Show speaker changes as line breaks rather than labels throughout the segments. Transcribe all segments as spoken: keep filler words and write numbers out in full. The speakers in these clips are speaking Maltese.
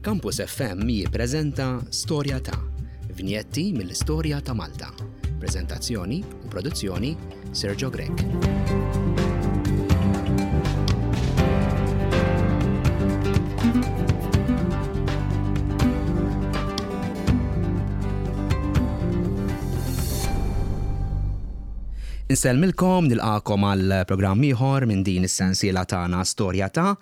Campus F M jippreżenta Storja ta' Vinjetti mill-Istorja ta' Malta. Prezentazzjoni u produzzjoni, Sergio Grech. Insellmilkom, nilqagħkom għal programm ieħor minn din is-sensiela tagħna Storja ta'.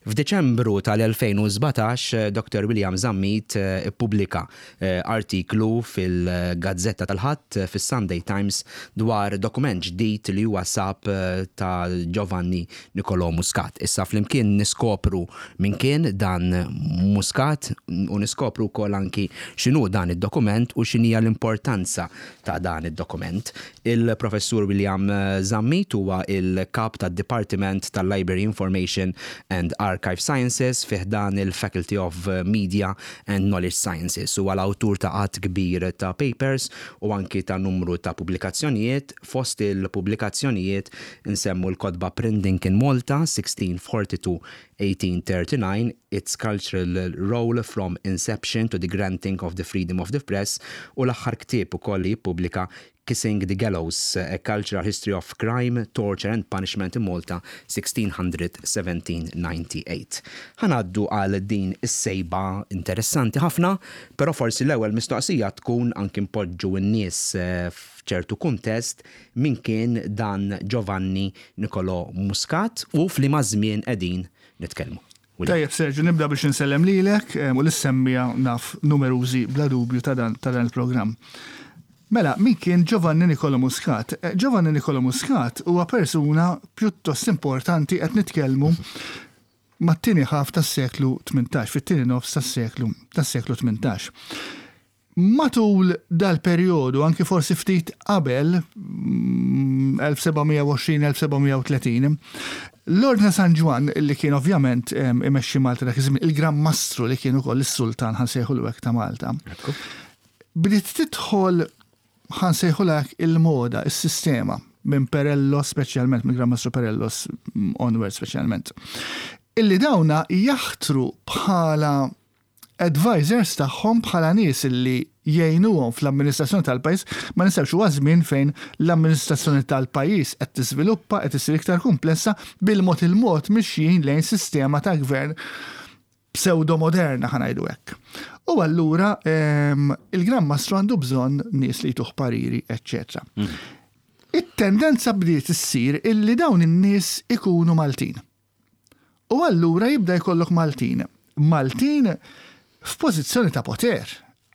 F'Deċembru tal-elfejn u sbatax, Doctor William Zammit eh, ippubblika eh, artiklu fil-Gazzetta tal-Ħadd, fis-Sunday Times, dwar dokument ġdid li huwa sab eh, ta' Giovanni Nicolo Muscat. Issa flimkien niskopru min kien dan Muscat u niskopru wkoll anki x'inhu dan id-dokument u x'inhija l-importanza ta' dan id-dokument. Il-Professur William Zammit huwa il-kap tad-Dipartiment tal-Library Information and Archive Sciences fi ħdan il-Faculty of Media and Knowledge Sciences. Huwa l-awtur ta' għadd kbir ta' papers u anki ta' numru ta' pubblikazzjonijiet. Fost il-pubblikazzjonijiet nsemmu l-kotba Printing in Malta sixteen forty-two eighteen thirty-nine, Its Cultural Role from Inception to the Granting of the Freedom of the Press, u l-aħħar ktieb ukoll li jippubblika, Kissing the Gallows, A Cultural History of Crime, Torture and Punishment in Malta sixteen hundred seventeen ninety-eight. Ħa ngħaddu għal din is-sejba interessanti ħafna, però forsi l-ewwel mistoqsija tkun anki npoġġu n-nies eh, f'ċertu kuntest, min kien dan Giovanni Nicolo Muscat u f'liema żmien qegħdin nitkellmu.
Tajjeb, Sergio, nibda biex nsellem lilek u lis-semmiegħa naf numerużi bla dubju ta' dan ta' dan il-programm. Mela, min kien Giovanni Nicolo Muscat? Eh, Giovanni Nicolo Muscat huwa persuna pjuttost importanti, qed nitkellmu mat-tieni ħaf tas-seklu tmintax, fit-tieni nofs tas-seklu tas-seklu tmintax. Matul dal-perjodu, anki forsi ftit qabel, mm, elf seba' mija u għoxrin elf seba' mija u tletin, l-Ordni San Ġwann, li kien ovvjament em, imexxi Malta dak iż-żmien, il-Gran Mastru li kien ukoll is-Sultan, ħa nsejħulu hekk, ta' Malta, bdiet tidħol, ħa nsejħulek, il-moda, il-sistema, minn Perello speċjalment, minn Gran Mastru Perellos mm, onward speċjalment, illi dawna jaħtru bħala advisors tagħhom, bħala nies illi jgħinuhom fl-amministrazzjoni tal-pajjiż. Ma ninsewx, huwa żmien fejn l-amministrazzjoni tal-pajjiż qed tiżviluppa, qed issir iktar komplessa, bil-mod il-mod mixjin lejn sistema ta' gvern pseudo-moderna, ħa ngħidu hekk. U allura em, il-Gran Mastru għandu bżonn nies li jtuh pariri, eċċetera. It-tendenza bdiet issir illi dawn in-nies ikunu Maltin. U allura jibda jkollok Maltin. Maltin f'pożizzjoni ta' poter.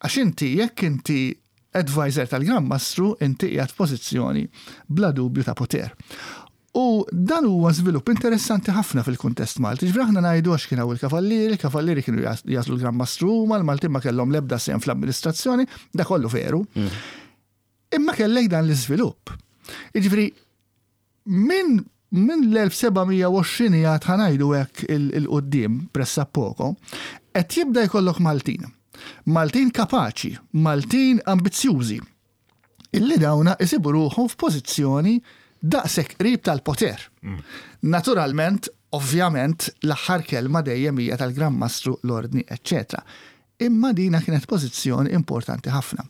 Għax inti, jekk inti advisor tal-Gran Mastru, inti qiegħed f'pożizzjoni bla dubju ta' poter. U dan huwa żvilupp interessanti ħafna fil-kuntest Malti. Ġifieri aħna ngħidu għax kien hawn il-kavallieri, il-kavallieri kienu jagħżlu l-Gran Mastru huma, l-Maltin ma kellhom l-ebda sehem fl-amministrazzjoni, da kollu veru. Imma kellek dan l-iżvilupp. Jiġifieri minn min l-elf seba' mija u għoxrin jgħad, ħa ngħidu hekk, 'il quddiem pressappoco, qed jibda jkollok Maltin. Maltin kapaċi, Maltin ambizzjużi, illi dawna isibu ruħhom f'pożizzjoni daqshekk qrib tal-poter. Naturalment, ovvjament, l-aħħar kelma dejjem hija tal-Gran Mastru, l-Ordni, eċċetera. Imma dina kienet pożizzjoni importanti ħafna.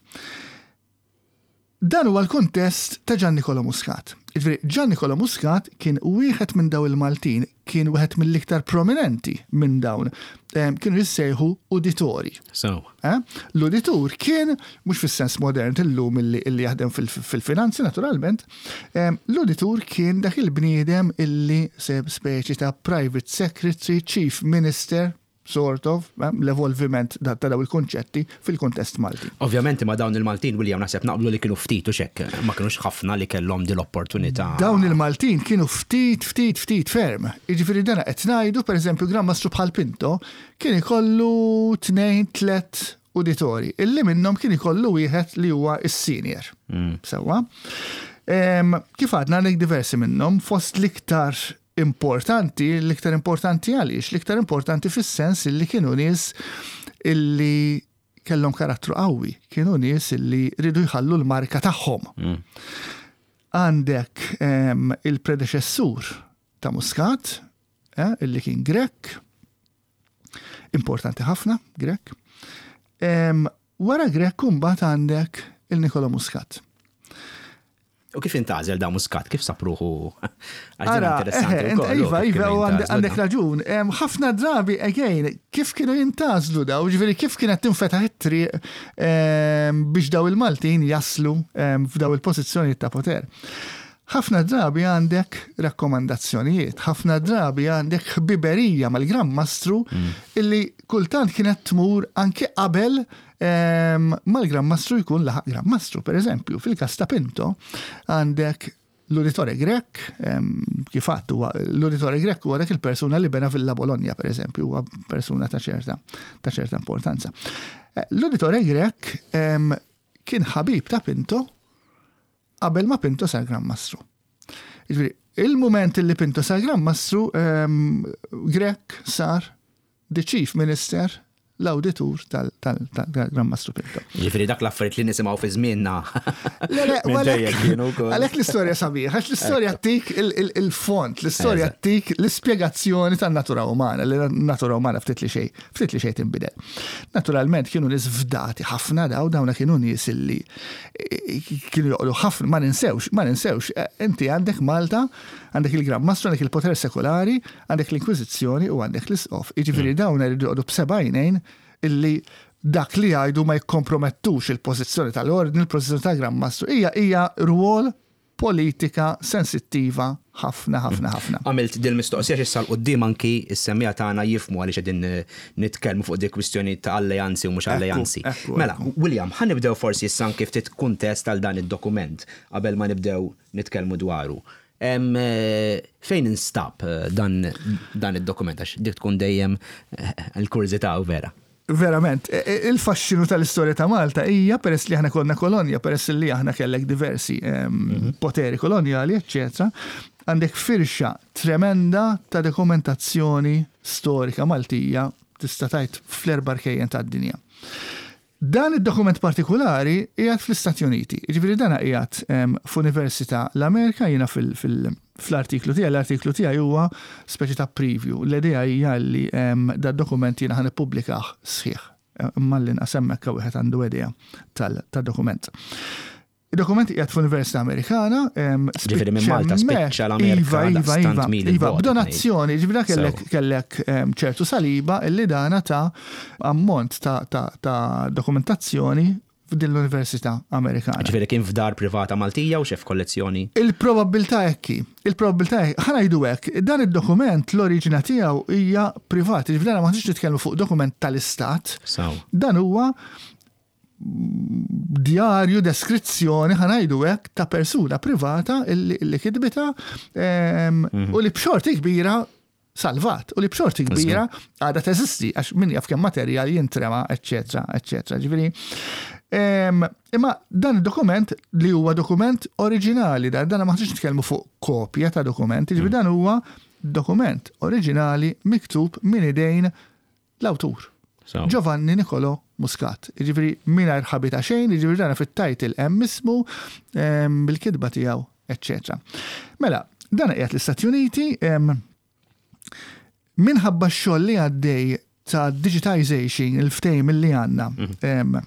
Dan huwa l-kuntest ta' Gian Nicolo Muscat. Jiġifieri Gian Nicolo Muscat kien wieħed minn daw il-Maltin, kien wieħed mill-iktar prominenti minn dawn. Em, Kienu jissejħu uditori.
So,
Eh? L-uditur kien, mhux fis-sens modern illum illi, illi jaħdem fil- fil-finanzi naturalment, em, l-uditur kien dak il-bniedem illi se speċi ta' private secretary, chief minister, sort of, eh, l-evolviment ta' ta' daw il-konċetti fil-kontest Malti.
Ovvjament ma dawn il-Maltin, William, naħseb naqblu li kienu ftit u xek, ma kienux ħafna li kellhom din l-opportunità.
Dawn il-Maltin kienu ftit, ftit, ftit ferm. Jiġifieri dana qed ngħidu, pereżempju, Gran Mastru bħal Pinto kien ikollu tnejn, tlet uditori, illi minnhom kien ikollu wieħed li huwa is-senior. Sewwa. Em, Kif għadna, għandek diversi minnhom, fost l-iktar importanti, l-iktar importanti għaliex, l-iktar importanti fis-sens illi kienu nies illi kellhom karattru qawwi, kienu nies illi ridu jħallu l-marka tagħhom. Għandek em, il-predeċessur ta' Muscat, eh, illi kien Grek, Importanti ħafna, Grech. Wara Grech mbagħad għandek il-Nicola Muscat.
U kif intgħażel da Muscat? Kif sab ruħu?
Ara, iva, iva, u għandek raġun. Ħafna drabi, again, kif kienu jintgħażlu daw, ġifieri kif kienet tinfetaħ it-triq biex daw il-Maltin jaslu f'daw il-pożizzjoni ta' poter. Ħafna drabi għandek rakkomandazzjonijiet, ħafna drabi għandek ħbiberija mal-Gran Mastru mm. illi kultant kienet tmur anke qabel mal-Gran Mastru jkun laħaq Gran Mastru. Per eżempju, fil-kas ta' Pinto għandek l-Uditore Grech, kif għedt huwa l-Uditore Grech huwa dak il-persuna li bena Villa Bologna, per eżempju, huwa persuna ta' ċerta ta' ċerta importanza. Eh, L-Uditore Grech kien ħabib ta' Pinto qabel ma Pinto sar Gran Mastru. Jiġifieri, il-moment li Pinto sar Gran Mastru, Grech sar the Chief Minister, l-auditur tal-Gran Mastru Pinto.
Ġifieri dak l-affarijiet li nisimgħu fi żmienna.
Le, le, għalhekk l-istorja sabiħ, għax l-istorja ttik il-font, l-istorja ttik l-ispjegazzjoni tan-natura umana, li natura umana ftit li xejn, ftit li xejn tinbidel. Naturalment kienu nies fdati ħafna daw, dawna kienu nies illi kienu joqogħdu ħafna, ma ninsewx, ma ninsewx, inti għandek Malta, għandek il-Gran Mastru, għandek il-poter sekolari, għandek l-Inkwiżizzjoni u għandek l-Isqof. Jiġifieri dawn iridu joqogħdu b'seba' għajnejn illi dak li jgħidu ma jikkompromettux il-pożizzjoni tal-ordni, il-pożizzjoni tal-Gran Mastru. Hija hija rwol politika sensittiva ħafna, ħafna, ħafna.
Għamilt dil-mistoqsija issa 'l quddiem anki s-semmiegħa tagħna jifhmu għaliex qegħdin nitkellmu fuq dik kwistjoni ta' alleanzi u mhux alleanzi. Mela, William, ħa nibdew forsi issa anki ftit kuntest għal dan id-dokument qabel ma nibdew nitkellmu dwaru. Fejn instab dan, dan id-dokument, għax dik tkun dejjem l-kurżità u vera.
Verament, il-faxxinu tal-istorja ta' Malta hija peress li aħna konna kolonja, peress li aħna kellek diversi mhm. poteri kolonjali, eccetera, għandek firxa tremenda ta' dokumentazzjoni storika Maltija tista' tgħid fl-erba' rkejjen tad-dinja. Dan id-dokument partikolari qiegħed fl-Istati Uniti. Jiġifieri dan qiegħed f'Università l-Amerika. Jiena fl-artiklu tiegħi, l-artiklu tiegħi huwa speċi ta' preview. L-idea hija li da dokument jiena ħa nippubblikah sħiħ. Imma l-inqas hemmhekk wieħed għandu idea tal-dokument. Il-dokument qiegħed f'Università Amerikana.
Ġifieri minn Malta spiċċa l-Amerika.
Iva, iva, iva, iva, b'donazzjoni, ġifieri kellek kellek ċertu Saliba illi dana ta ammont ta' ta' dokumentazzjoni f'din l-Università Amerikana.
Ġifieri kien f'dar privata Maltija u xef kollezzjoni?
Il-probabilità hekk, il-probabilità hekk, ħa ngħidu hekk, dan id-dokument l-oriġina tiegħu hija privata, ġifieri ma nix nitkellmu fuq dokument tal-Istat. Dan huwa djarju, deskrizzjoni, ħa ngħidu hekk, ta' persuna privata illi, illi kitbita mhm. u li b'xorti kbira salvat u li b'xorti kbira għadha teżisti, għax min jaf kemm materjal jintrema, eccetera, eccetera. Ġifieri, imma dan id-dokument li huwa dokument oriġinali, dan dan ma nitkellmu fuq kopja ta' dokument, ġifieri mm. dan huwa dokument oriġinali miktub minn idejn l-awtur. Giovanni Nicolo Muscat. Ġifieri mingħajr ħabi ta' xejn, ġifieri dana fit-title hemm ismu bil-kitba tiegħu, eċċetera. Mela, dan qiegħed l-Istati Uniti minħabba x-xogħol li għaddej ta' digitization, il-ftehim li għandna mhm.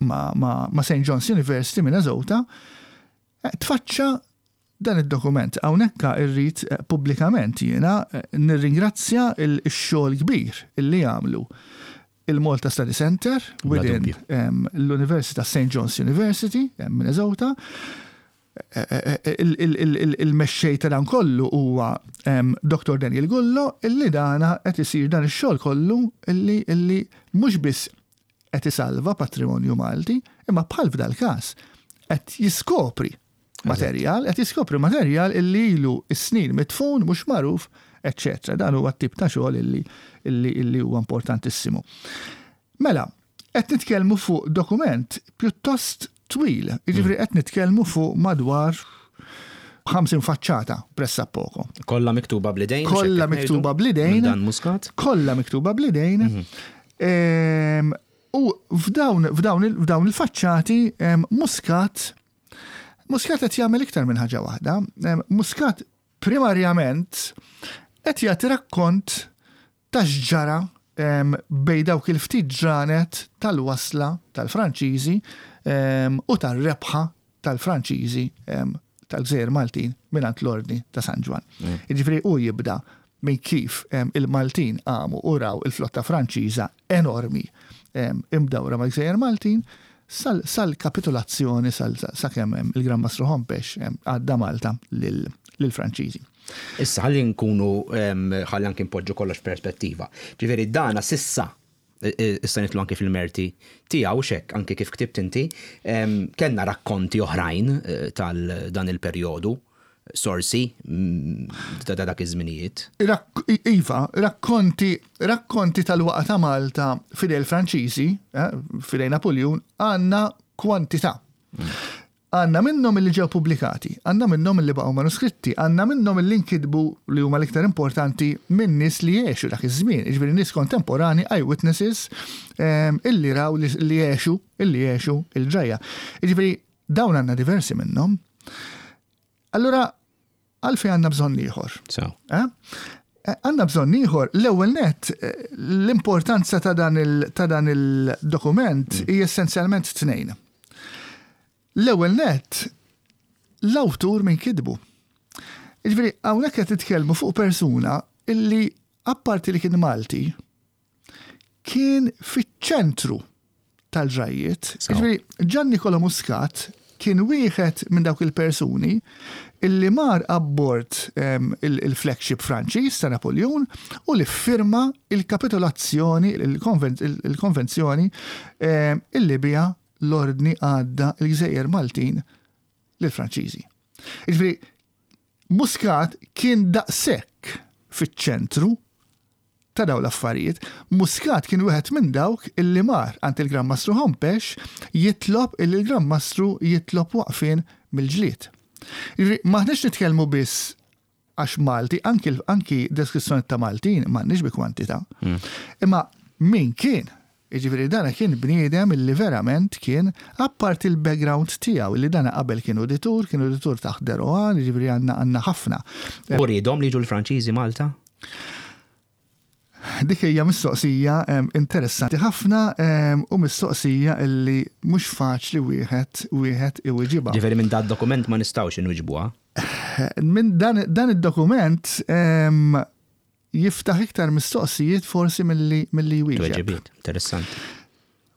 ma, ma, ma Saint John's University, Minnesota, eh, tfaċċa dan id-dokument. Hawnhekk irrid eh, pubblikament jiena eh, nirringrazzja il-xogħol kbir illi għamlu il-Malta Study Center within l-Università Saint John's University, Minnesota. Il-mexxej ta' dan kollu huwa Doktor Daniel Gullo, illi dana qed isir dan ix-xogħol kollu illi illi mhux biss qed isalva patrimonju Malti, imma bħal f'dal każ qed jiskopri materjal, qed jiskopri materjal illi ilu s-snin mitfun, mhux magħruf, eċċetera. Dan huwa tip ta' xogħol illi illi illi huwa importantissimu. Mela, qed nitkellmu fuq dokument pjuttost twil, jiġifieri qed nitkellmu fuq madwar ħamsin faċċata pressappoco.
Kollha miktuba bl-idejn?
Kollha miktuba bl-idejn.
Dan Muscat?
Kollha miktuba bl-idejn. Mhm. U f'dawn f'dawn il-faċċati Muscat Muscat qed jagħmel iktar minn ħaġa waħda. Muscat primarjament qed jagħti rakkont ta' x'ġara bejn dawk il-ftit ġranet tal-wasla tal-Franċiżi u tar-rebħa tal-Franċiżi tal-Gżejjer Maltin mingħand l-Ordni ta' San Ġwann. Jiġifieri hu jibda minn kif il-Maltin qamu u raw il-flotta Franċiża enormi imdawra mal-Gżejjer Maltin sal-kapitulazzjoni sakemm il-Gran Mastru Hompesch għadda Malta lill-Franċiżi.
Issa ħalli nkunu ħalli anki npoġġu kollox perspettiva. Ġifieri dana s'issa issa nidħlu anki fil-merti tiegħu xek anki kif ktibt inti, kellna rakkonti oħrajn tal dan il-perjodu, sorsi ta' dak iż-żminijiet.
Iva, rakkonti, rakkonti tal-waqgħa ta' Malta f'idejn il-Franċiżi, f'idejn Napoleon, għandna kwantità. Għandna minnhom li ġew pubblikati, għandna minnhom li baqgħu manuskritti, għandna minnhom li nkitbu li huma l-iktar importanti minn nies li għexu dak iż-żmien, jiġifieri nies kontemporani, eyewitnesses, illi raw li għexu, illi għexu il-ġrajja. Jiġifieri dawn għandna diversi minnhom. Allura, għalfejn għandna bżonn ieħor. Għandna bżonn ieħor, l-ewwel net, l-importanza ta' dan il-dokument hija essenzjalment tnejn. L-ewwel net, l-awtur minn kitbu. Jiġifieri hawnhekk qed titkellmu fuq persuna illi apparti li kien Malti, kien fiċ-ċentru tal-ġrajjiet. Jiġifieri Gian Nicola Muscat kien wieħed minn dawk il-persuni illi mar abbord il-flagship Franċiż ta' Napoleon u li firma il-kapitolazzjoni, il-konvenzjoni illi biha l-ordni għadda il-Gżejjer Maltin lill-Franċiżi. Jiġifieri Muscat kien daqshekk fiċ-ċentru ta' dawn l-affarijiet. Muscat kien wieħed minn dawk illi mar għand il-Gran Mastru Hompesch jitlob illi l-Gran Mastru jitlob waqfien mill-ġlied. Jiġifieri m'aħniex nitkellmu biss għax Malti, anki, anki deskrizzjoni ta' Maltin m'għandniex bi kwantità. Imma min kien? Jiġifieri dana kien bniedem illi verament kien apparti il-background tiegħu illi dana qabel kien uditur, kien uditur taħt de Rohan, jiġifieri għandna għandna ħafna.
U riedhom li jiġu l-Franċiżi Malta?
Dik hija mistoqsija interessanti ħafna u mistoqsija illi mhux faċli wieħed wieħed iwiġibha.
Ġifieri minn dan dokument ma nistgħux inwiġbuha.
Minn dan, dan id-dokument jiftaħ iktar mistoqsijiet forsi milli milli jwieġeb.
Tweġibiet, interessanti.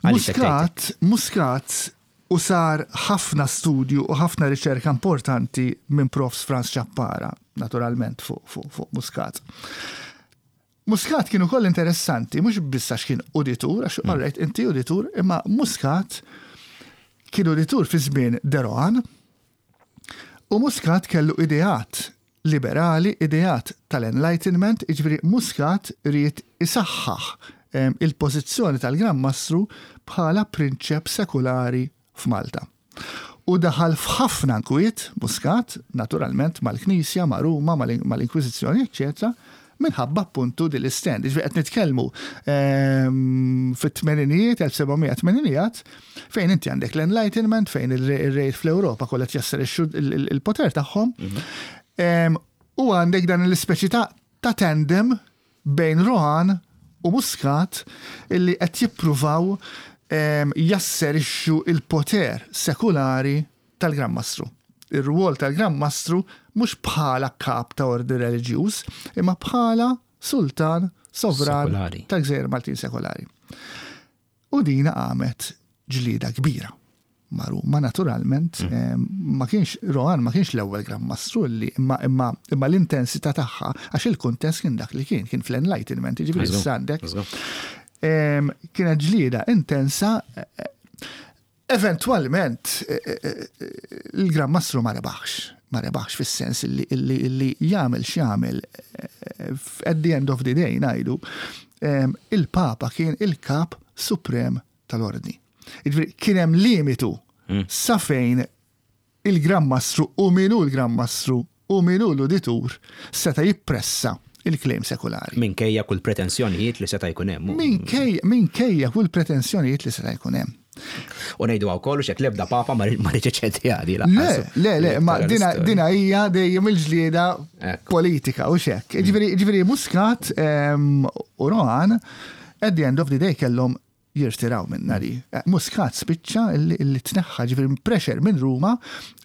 Muscat, Muscat u sar ħafna studju u ħafna riċerka importanti minn Profs Franz Ciappara, naturalment fuq fu, fu Muscat. Muscat kien ukoll interessanti, mhux biss għax kien uditur, għax mm. alright, inti uditur, imma Muscat kien uditur fi żmien de Rohan u Muscat kellu ideat liberali, ideat tal-Enlightenment, jiġifieri Muscat ried isaħħaħ il-pożizzjoni tal-Gran Mastru bħala prinċep sekulari f'Malta. U daħal f'ħafna nkwiet Muscat, naturalment mal-Knisja, ma' Ruma, mal-Inkwiżizzjoni, eċċetera, minħabba appuntu din l-istand. Ġifieri qed nitkellmu fit-tmeninijiet, elf seba' mija tmeninijiet, fejn inti għandek l-Enlightenment, fejn ir-rejt fl-Ewropa kollha jasserixxu il-poter tagħhom. U għandek dan l-ispeċi ta' tandem bejn Rohan u Muscat illi qed jippruvaw jasserixxu il-poter sekulari tal-Gran Mastru. Ir-rwol tal-Gran Mastru mhux bħala kap ta' ordni reliġjuż, imma bħala sultan sovran tal-Gżejjer Maltin sekolari. U dina qamet ġlieda kbira. Ma Ruma naturalment, ma kienx Rohan ma kienx l-ewwel Gran Mastru li imma imma imma l-intensità tagħha għax il-kuntest kien dak li kien, kien fl-Enlightenment, jiġifieri issa għandek. Kienet ġlieda intensa. Eventualment il-Gran Mastru ma rebaħx, ma rebaħx fis-sens illi, illi, illi jagħmel x'jagħmel at the end of the day ngħidu, il-Papa kien il-kap suprem tal-ordni. Jiġifieri kien hemm limitu sa fejn il-Gran Mastru u min hu l-Gran Mastru u min hu l-uditur seta' jippressa il-claim sekulari.
Minkejja kull pretensjonijiet li seta' jkun hemm.
Minkejja, minkejja kull pretensjonijiet li seta' jkun hemm.
U ngħidu hawn kollu xek l-ebda papa ma riċ iċedi għadi,
lanqas. Le, le, le, ma dina, dina hija dejjem il-ġlieda politika u xek. Ġifieri, ġifieri Muscat u Rohan At the end of the day kellhom jirtiraw minn nari. Eh, Muscat spiċċa illi, illi tneħħa, ġifieri pressure minn Ruma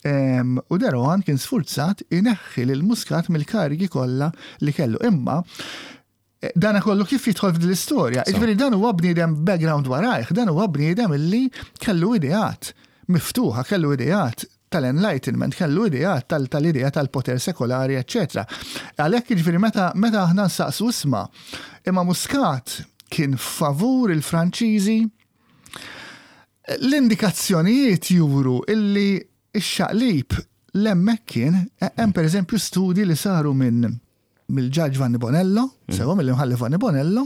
em, u de Rohan kien sfurzat ineħħi lil Muscat mill-karigi kollha li kellu. Imma eh, dana kollu kif jidħol f'din l-istorja? Ġifieri dan huwa bniedem background warajh, dan huwa bniedem illi kellu ideat miftuħa, kellu ideat tal-enlightenment, kellu ideat tal- tal-idea tal-poter sekolari, eccetera. Għalhekk ġifieri meta meta aħna nsaqsu, isma', imma Muscat kien favur il-Franċiżi, l-indikazzjonijiet juru illi x-xaqlib hemmhekk kien. Hemm per eżempju studi li saru minn mill-ġaġ Vanni Bonello, sewa mill-imħallef Vanni Bonello,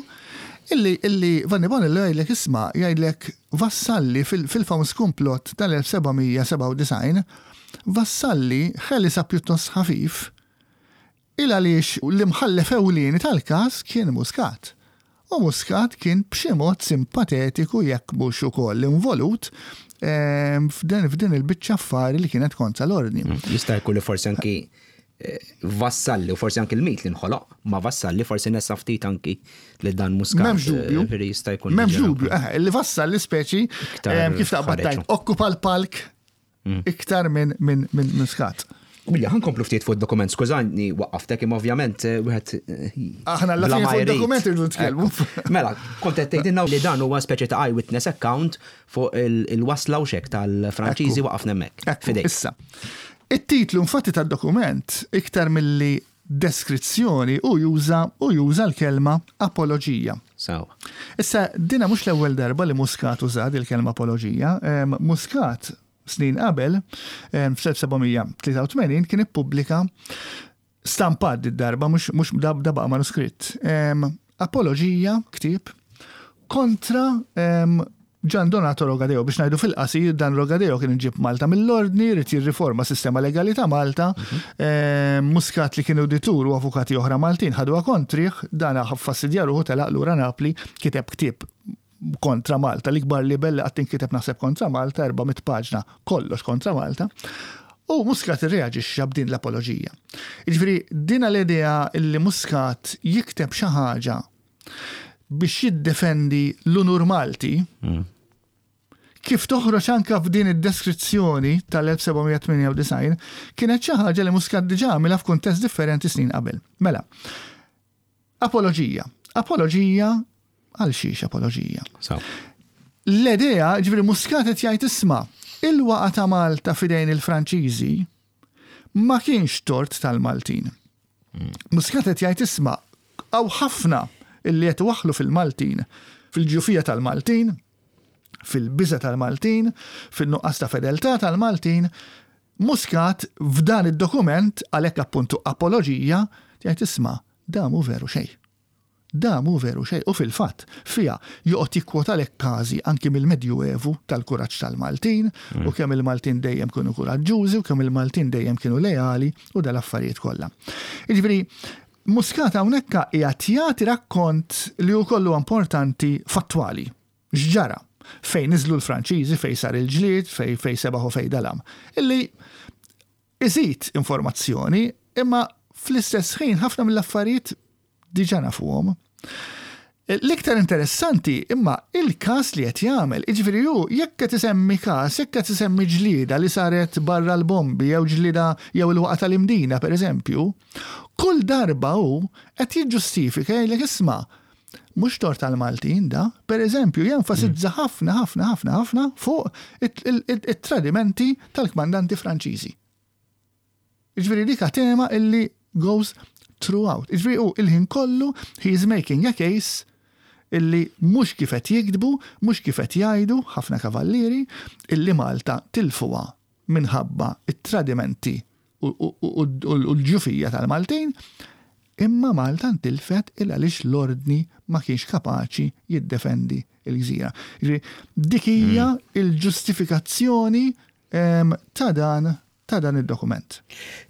illi, illi Vanni Bonello jgħidlek, isma', jgħidlek Vassalli fil- fil-famuż komplott tal-elf seba' mija sebgħa u disgħin, Vassalli ħelisa pjuttost ħafif il għaliex l-imħallef ewlieni tal-każ kien Muscat. U Muscat kien b'xi mod simpatetiku, jekk mhux ukoll involut ehm, f'din f'din il-biċċa affari li kienet kontra l-ordni.
Jista' jkun li forsi anki eh, Vassalli u forsi anki l-mit li nħoloq ma Vassalli forsi nessa ftit anki li dan Muscat.
M'hemmx dubju.
eh, veri jista' jkun.
M'hemmx
diġà
dubju, eh, li Vassalli speċi
Iktar
ehm, kif taqbad
ħareġu.
tajt, okkupa l-palk iktar minn min, min Muscat.
William, ħa nkomplu ftit fuq dokument, skużani waqqaftek, imma ovvjament eh, wieħed eh,
Aħna alla
bla
fine
ma
fuq
jrid.
dokument irridu nitkellmu.
Ekku. Mela, kont qed tgħidilna li dan huwa speċi ta' eyewitness account fuq il- il-wasla u xek tal-Franċiżi.
Ekku.
Waqafna hemmhekk.
Ekku,
Fidejk.
issa, it-titlu infatti tad-dokument iktar milli deskrizzjoni u juża u juża l-kelma apologija.
Sawa.
Issa, dina mhux l-ewwel darba li Muscat użat il-kelma apologija. Em, Muscat snin qabel, em, fl-elf seba' mija tlieta u tmenin kien ippubblika stampat id-darba, mhux mhux da da baqa' manuskritt. Em, Apologija, ktieb, kontra em, Gian Donato Rogadeo. Biex ngħidu fil-qasir, dan Rogadeo kien iġib Malta mill-ordni, ried jirriforma sistema legali ta' Malta, em, Muscat li kien uditur u avukati oħra Maltin ħaduha kontrih, dan fastidja ruħu, telaq lura Napli, kiteb ktieb kontra Malta, l-ikbar libel li qatt inkiteb naħseb kontra Malta, erba' mitt paġna, kollox kontra Malta. U Muscat irreaġixxa b'din l-apologija. Jiġifieri dina l-idea li Muscat jikteb xi ħaġa biex jiddefendi l-unur Malti, kif toħroġ anka f'din id-deskrizzjoni tal-elf seba' mija tmienja u disgħin, kienet xi ħaġa li Muscat diġà għamilha f'kuntest differenti snin qabel. Mela, apologija. Apologija għal xiex apologija?
Sawa.
L-idea, ġifieri Muscat qed jgħid, isma', il-waqa ta' Malta fidejn il-Franċiżi ma kienx tort tal-Maltin. Muscat qed jgħid, isma', hawn ħafna illi qed waħlu fil-Maltin, fil-ġufija tal-Maltin, fil-biża tal-Maltin, fil-nuqqas ta' fedeltà tal-Maltin. Muscat f'dan id-dokument, għalhekk appuntu apologija, jgħid, isma', da mhu veru xejn. Da mhu veru xejn. U fil-fatt, fija joqgħod jikkwotalek każi anki mill-Medjuevu tal-kuraġġ tal-Maltin u kemm il-Maltin dejjem kienu kuraġġużi u kemm il-Maltin dejjem kienu leali u dal-affarijiet kollha. Jiġifieri Muscat hawnhekk qiegħed jagħti rakkont li hu kollu importanti fattwali. X'ġara? Fejn niżlu l-Franċiżi, fejn sar il-ġlied, fejn fejn sebaħu, fejn dalam. Illi iżid informazzjoni, imma fl-istess ħin ħafna mill-affarijiet diġà nafuhom. L-iktar interessanti imma il-każ li qed jagħmel, jiġifieri hu jekk qed isemmi każ, jekk qed isemmi ġlieda li saret barra l-bombi jew ġlieda jew il-waqa tal-Imdina pereżempju, kull darba hu qed jiġġustifika, jgħidlek, isma', mhux tort tal-Maltin da, per eżempju, jenfasizza ħafna, ħafna, ħafna, ħafna fuq it-tradimenti tal-kmandanti Franċiżi. Jiġifieri dik tema illi goes throughout. Jiġifieri u il-ħin kollu he is making a case illi mhux kif qed jiktbu, mhux kif qed jgħidu ħafna kavallieri illi Malta tilfuha minħabba it-tradimenti u l-ġufija tal-Maltin, imma Malta ntilfet il għaliex l-ordni ma kienx kapaċi jiddefendi il-gżira. Dik hija mm. il-ġustifikazzjoni ta' dan ta' dan id-dokument.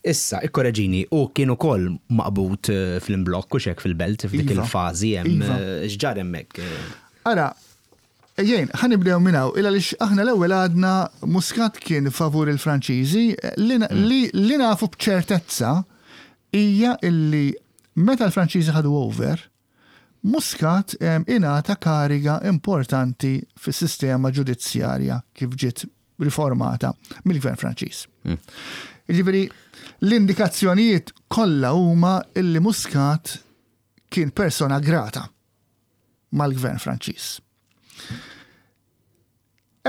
Issa, ikkoreġini, u kien ukoll maqbut eh, fl-imblokk u xek fil-belt f'dik iva. il-fażi hemm iva. eh, x'ġar hemmhekk.
Ara, jien, ħa nibdew minn hawn, illa għaliex aħna l-ewwel għadna Muscat kien favur il-Franċiżi, li, mm. li, li nafu b'ċertezza hija illi meta l-Franċiżi ħadu over, Muscat ingħata kariga importanti fis-sistema ġudizzjarja kif ġiet riformata mill-Gvern Franċiż. Mm. Jiġifieri l-indikazzjonijiet kollha huma illi Muscat kien persona grata mal-Gvern Franċiż.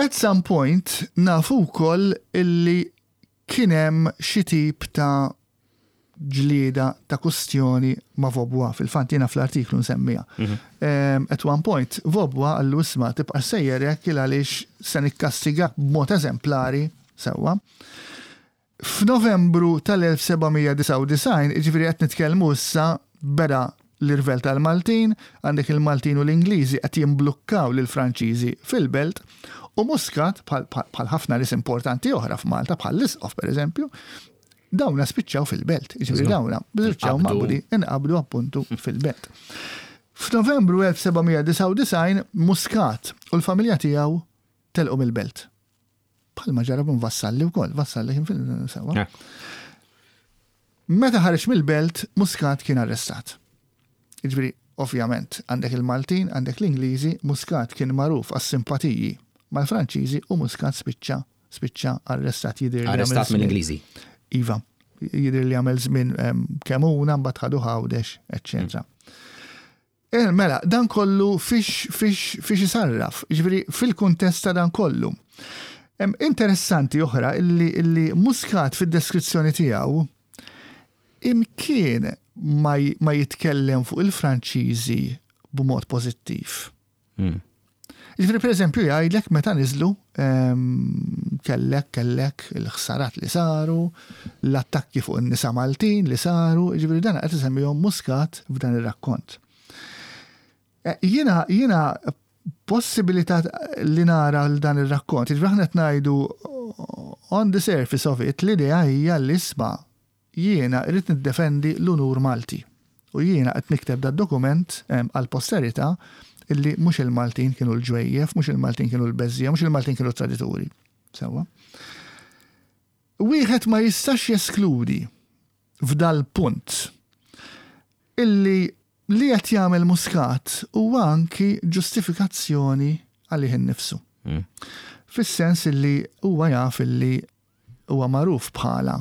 At some point nafu wkoll illi kien hemm xi tip ta' ġlieda ta' kustjoni ma' Vaubois. Fil-fatt jiena fl-artiklu nsemmiha. Mm -hmm. At one point, Vaubois qallu, "Isma', tibqa' sejjer hekk għaliex se nikkastigak b'mod eżemplari sewwa." F'Novembru tal-elf seba' mija disgħa u disgħin, ġifieri qed nitkellmu issa beda l-irvel tal-Maltin, għandek il-Maltin u l-Ingliżi qed jimblukkaw lill-Franċiżi fil-belt, u Muscat, bħal ħafna nies importanti oħra f'Malta, bħal l-Isqof per eżempju, dawna spiċċaw fil-belt. Ġifieri dawna spiċċaw maqbudi, inqabdu appuntu fil-belt. F'Novembru elf seba' mija disgħa u disgħin Muscat u l-familja tiegħu telqu mill-belt. Bħalma ġara b'un Vassalli wkoll, Vassalli kien fil-sewwa. Meta ħareġ mill-belt, Muscat kien arrestat. Jiġifieri, ovvjament, għandek il-Maltin, għandek l-Ingliżi, Muscat kien magħruf għas-simpatiji mal-Franċiżi u Muscat spiċċa spiċċa arrestat, jidir.
Arrestat mill-Ingliżi.
Iva, jidir li għamel żmien Kemmuna, mbagħad ħadu Għawdex, eċċetera. Eh, mela, dan kollu fiex fiex fiex isarraf, ġifieri fil-kuntest ta' dan kollu. Interessanti oħra illi, illi Muscat fid-deskrizzjoni tiegħu imkien ma, ma jitkellem fuq il-Franċiżi b'mod pożittiv. Mm. Ġifieri, per eżempju, jgħidlek meta niżlu kellek kellek il-ħsarat li saru, l-attakki fuq in-nisa Maltin li saru, ġifieri dan qed isemmihom Muscat f'dan ir-rakkont. E, jiena jiena possibilità li nara l dan ir-rakkont, ġifieri aħna qed ngħidu on the surface of it, l-idea hija li, isma', jiena irrid niddefendi l-unur Malti. U jiena qed nikteb da dokument għal posterità illi mhux il-Maltin kienu l-ġwejjef, mhux il-Maltin kienu l-beżżiegħa, mhux il-Maltin kienu l-tradituri. Sewwa. Wieħed ma jistax jeskludi f'dal punt illi li qed jagħmel Muscat huwa anki ġustifikazzjoni għalih innifsu. Mm. Fis-sens illi huwa jaf illi huwa magħruf bħala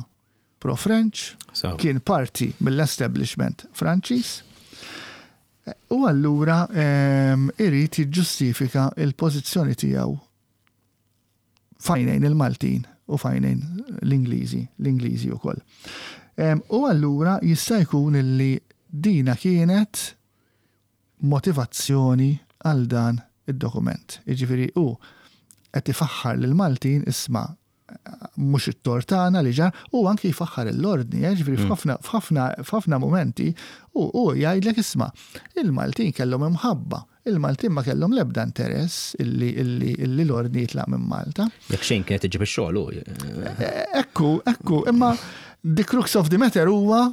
pro-French, so. kien parti mill-establishment Franċiż, u allura um, irid jiġġustifika il-pożizzjoni tiegħu f'għajnejn il-Maltin u f'għajnejn l-Ingliżi, l-Ingliżi wkoll. Um, u allura jista' jkun illi dina kienet motivazzjoni għal dan id-dokument. Jiġifieri u qed ifaħħar lil Maltin, isma', mhux it-tort tagħna li ġar, u anki jfaħħar l-ordni, eh, ġifieri mm. f'ħafna f'ħafna momenti u u jgħidlek, "Isma', il-Maltin kellhom imħabba, il-Maltin ma kellhom l-ebda interess illi illi illi l-ordni jitlaq minn Malta."
Jekk xejn kienet iġib ix-xogħol.
Eh, ekku, ekku, imma the crux of the matter huwa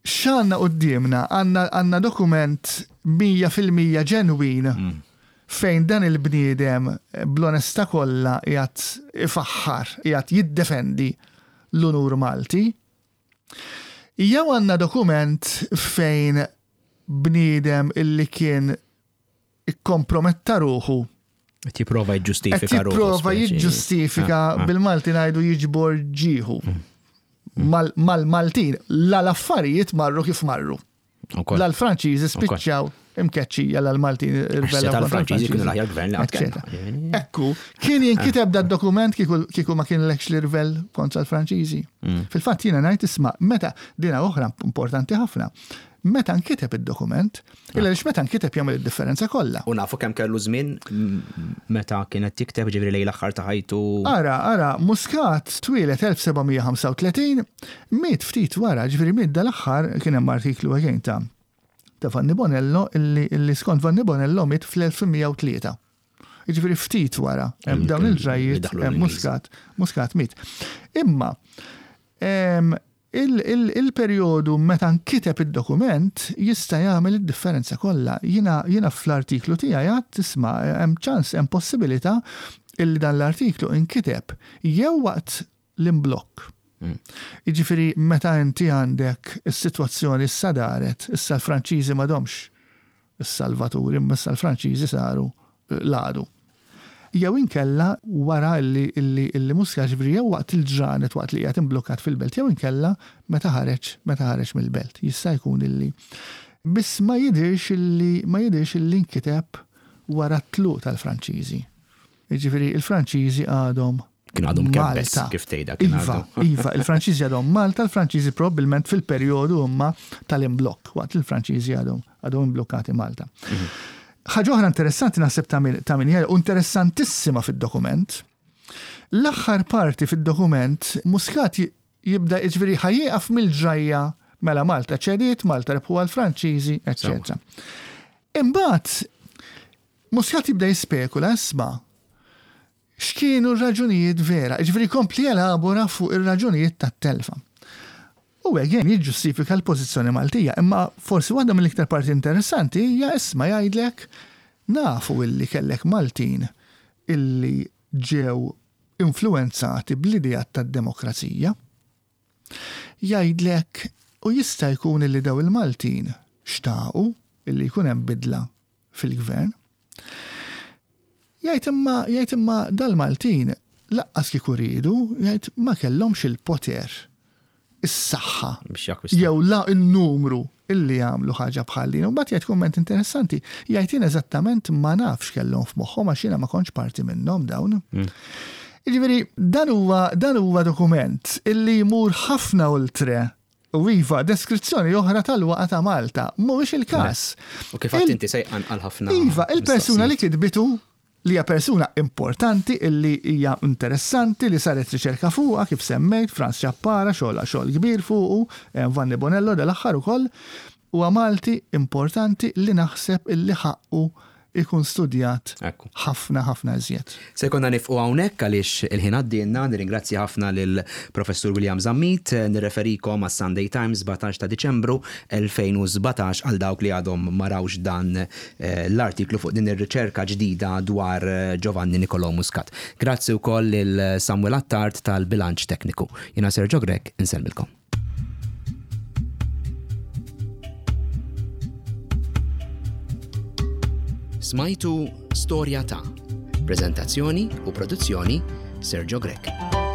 x'għandna quddiemna? Għandna dokument mija fil-mija ġenwin mm fejn dan il-bniedem bl-onestà kollha qiegħed ifaħħar, qiegħed jiddefendi l-unur Malti. Jew għandna dokument fejn bniedem illi kien ikkomprometta ruħu
Qed jipprova jiġġustifika
ruħu. Jipprova jiġġustifika, ah, ah. bil-Malti ngħidu jiġbor ġieħu. Mm. Mal-Maltin, la l-affarijiet marru kif marru. L-Franċiżi spiċċaw imkeċċija, l-Maltin
irbellaw. Tal-Franċiżi kienu l-aħjar gvern li
Ekku, kien jinkiteb da dokument kieku ma kien lekx l-irvel kontra l-Franċiżi? Mm. Fil-fatt jiena ngħid, isma', meta dina oħra importanti ħafna. Meta nkiteb id-dokument, illa lix meta nkiteb jagħmel id-differenza kollha.
U nafu kemm kellu żmien meta kienet tikteb, ġifieri lejn l-aħħar ta' ħajtu?
Ara, ara, Muscat twieled elf seba' mija ħamsa u tletin, miet ftit wara, ġifieri miet dal-aħħar, kien hemm artiklu again ta' ta' Vanni Bonello illi, illi skont Vanni Bonello miet fl-elf mija u tlieta. Jiġifieri ftit wara dawn il-ġrajiet Muscat, Muscat miet. Imma il-perjodu meta nkiteb id-dokument jista' jagħmel id-differenza kollha. Jiena jiena fl-artiklu tiegħi għad tisma' hemm ċans, hemm possibilità illi dan l-artiklu inkiteb jew waqt l-imblokk. Mm. Jiġifieri meta inti għandek is-sitwazzjoni issa daret, issa l-Franċiżi m'għadhomx s-salvaturi, imma issa l-Franċiżi saru l-għadu. Jew inkella wara illi, illi, illi Muscat, ġifieri jew waqt il-ġranet waqt li qiegħed imblokkat fil-belt, jew inkella meta ħareġ meta ħareġ mill-belt. Jista' jkun illi biss ma jidirx illi ma jidirx illi nkiteb wara t-tluq tal-Franċiżi. Jiġifieri il-Franċiżi għadhom
Kien għadhom kebbes
Malta.
Kif tgħidha kien
Iva,
għadhom.
iva, il-Franċiżi għadhom Malta, il-Franċiżi probabbilment fil-perjodu imma tal-imblokk, waqt il-Franċiżi għadhom għadhom imblokkati Malta. Ħaġa oħra interessanti naħseb ta' min ta' min u interessantissima fid-dokument. L-aħħar parti fid-dokument Muscat jibda, jiġifieri ħa jieqaf mill-ġrajja, mela Malta ċediet, Malta rebħu għal-Franċiżi, eċċetera. Imbagħad Muscat jibda jispekula, isma', x'kienu r-raġunijiet vera, ġifieri kompli jelabora fuq ir-raġunijiet tat-telfa. U again jiġġustifika l-pożizzjoni Maltija, imma forsi waħda mill-iktar parti interessanti hija, isma', jgħidlek nafu illi kellek Maltin illi ġew influenzati bl-idea tad-demokrazija. Jgħidlek u jista' jkun illi daw il-Maltin xtaqu illi jkun hemm bidla fil-gvern. Jgħid imma jgħid imma dal-Maltin lanqas kieku riedu, jgħid, ma kellhomx il-poter, is-saħħa
Biex jakkwistaw.
Jew la il-numru illi jagħmlu ħaġa bħal din. U mbagħad jgħid kumment interessanti, jgħid jien eżattament ma nafx kellhom f'moħħhom għax jiena ma kontx parti minnhom dawn. Jiġifieri dan huwa dan huwa dokument illi jmur ħafna oltre u iva deskrizzjoni oħra tal-waqa ta' Malta. Mhuwiex il-każ.
U kif għedt inti se jqanqal ħafna.
Iva, il-persuna li
mistoqsijiet.
kitbitu, li hija persuna importanti, illi hija interessanti, li saret riċerka fuqha, kif semmejt, Franz Ciappara xogħol xogħol kbir fuqu, eh, Vanni Bonello dal-aħħar ukoll, huwa Malti importanti li naħseb illi ħaqqu ikun studjat
Ekku.
ħafna ħafna iżjed.
Se jkollna nieqfu hawnhekk għaliex il-ħin għaddielna. Nirringrazzja ħafna lil Professur William Zammit, nirreferikom għas Sunday Times sbatax ta' Diċembru elfejn u sbatax għal dawk li għadhom ma rawx dan eh, l-artiklu fuq din ir-riċerka ġdida dwar eh, Giovanni Nicolò Muscat. Grazzi wkoll lil Samuel Attard tal-bilanċ tekniku. Jiena Sergio Grech, insellmilkom. Smajtu Storja ta'. Prezentazzjoni u produzzjoni Sergio Grech.